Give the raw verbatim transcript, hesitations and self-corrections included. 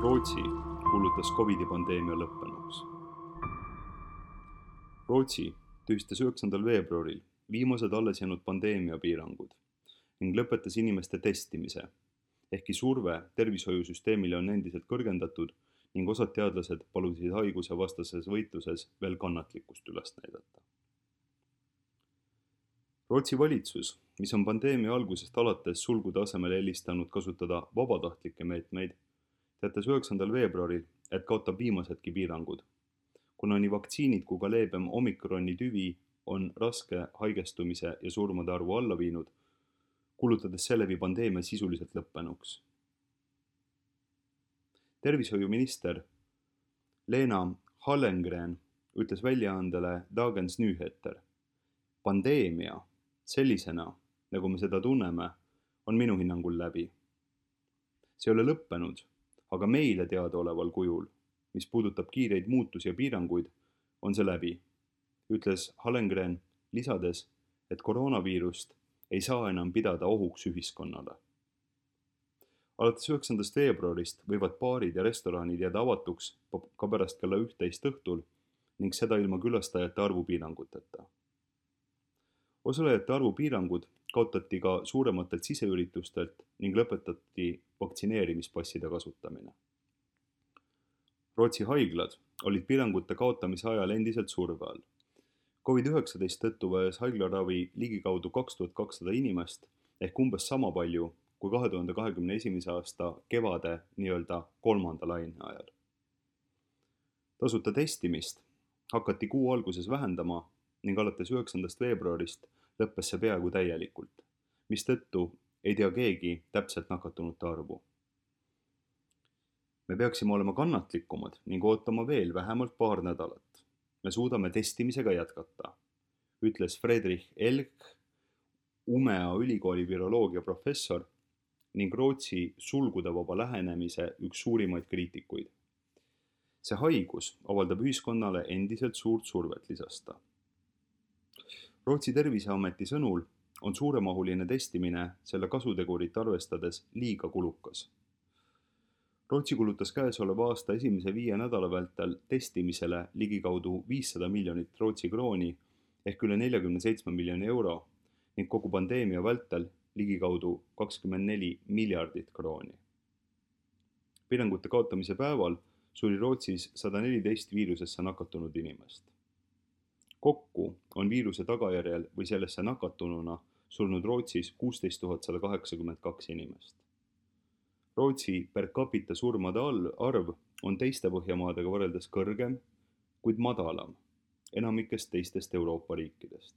Rootsi kuulutas Covidi pandeemia lõppenuks. Rootsi tühistas üheksandal veebruaril viimased alles jäänud pandeemiapiirangud ning lõpetas inimeste testimise, ehkki surve tervishoiusüsteemile on endiselt kõrgendatud ning osad teadlased palusid haiguse vastases võitluses veel kannatlikkust üles näidata. Rootsi valitsus, mis on pandeemia algusest alates sulgude asemel eelistanud kasutada vabatahtlikke meetmeid, teatas üheksandal veebruaril, et kaotab viimasedki piirangud, kuna nii vaktsiinid kui ka leebem omikroni tüvi on raske haigestumise ja surmade arvu alla viinud, kuulutades seeläbi pandeemia sisuliselt lõppenuks. Tervishoiuminister Lena Hallengren ütles väljaandele Dagens Nyheter: pandeemia sellisena, nagu me seda tunneme, on minu hinnangul läbi. See ei ole lõppenud, aga meile teadaoleval kujul, mis puudutab kiireid muutusi ja piiranguid, on see läbi, ütles Hallengren, lisades, et koroonaviirust ei saa enam pidada ohuks ühiskonnale. Alates üheksandast veebruarist võivad baarid ja restoranid jääda avatuks ka pärast kella üht-teist õhtul ning seda ilma külastajate arvu piiranguteta. Osalejate arvu piirangud kaotati ka suurematelt siseüritustelt ning lõpetati vaktsineerimispasside kasutamine. Rootsi haiglad olid piirangute kaotamise ajal endiselt surve all. Covid üheksateist tõttu vajas haiglaravi ligikaudu kaks tuhat kakssada inimest ehk umbes sama palju kui kahe tuhande kahekümne esimese aasta kevade nii-öelda kolmanda laine ajal. Tasuta testimist hakati kuu alguses vähendama ning alates üheksandast veebruarist lõppes see peaaegu täielikult, mistõttu ei tea keegi täpselt nakatunute arvu. Me peaksime olema kannatlikumad ning ootama veel vähemalt paar nädalat. Me suudame testimisega jätkata, ütles Fredrik Elk, Umea ülikooli viroloogia professor ning Rootsi sulgudevaba lähenemise üks suurimaid kriitikuid. See haigus avaldab ühiskonnale endiselt suurt survet, lisas ta. Rootsi terviseameti sõnul on suuremahuline testimine selle kasutegurit arvestades liiga kulukas. Rootsi kulutas käesoleva aasta esimese viie nädala vältel testimisele ligikaudu viissada miljonit Rootsi krooni ehk üle neljakümne seitsme miljoni euro ning kogu pandeemia vältel ligikaudu kakskümmend neli miljardit krooni. Piirangute kaotamise päeval suri Rootsis sada neliteist viirusesse nakatunud inimest. Kokku on viiruse tagajärjel või sellesse nakatununa surnud Rootsis kuusteist tuhat sada kaheksakümmend kaks inimest. Rootsi per capita surmade arv on teiste Põhjamaadega võrreldes kõrgem, kuid madalam enamikest teistest Euroopa riikidest.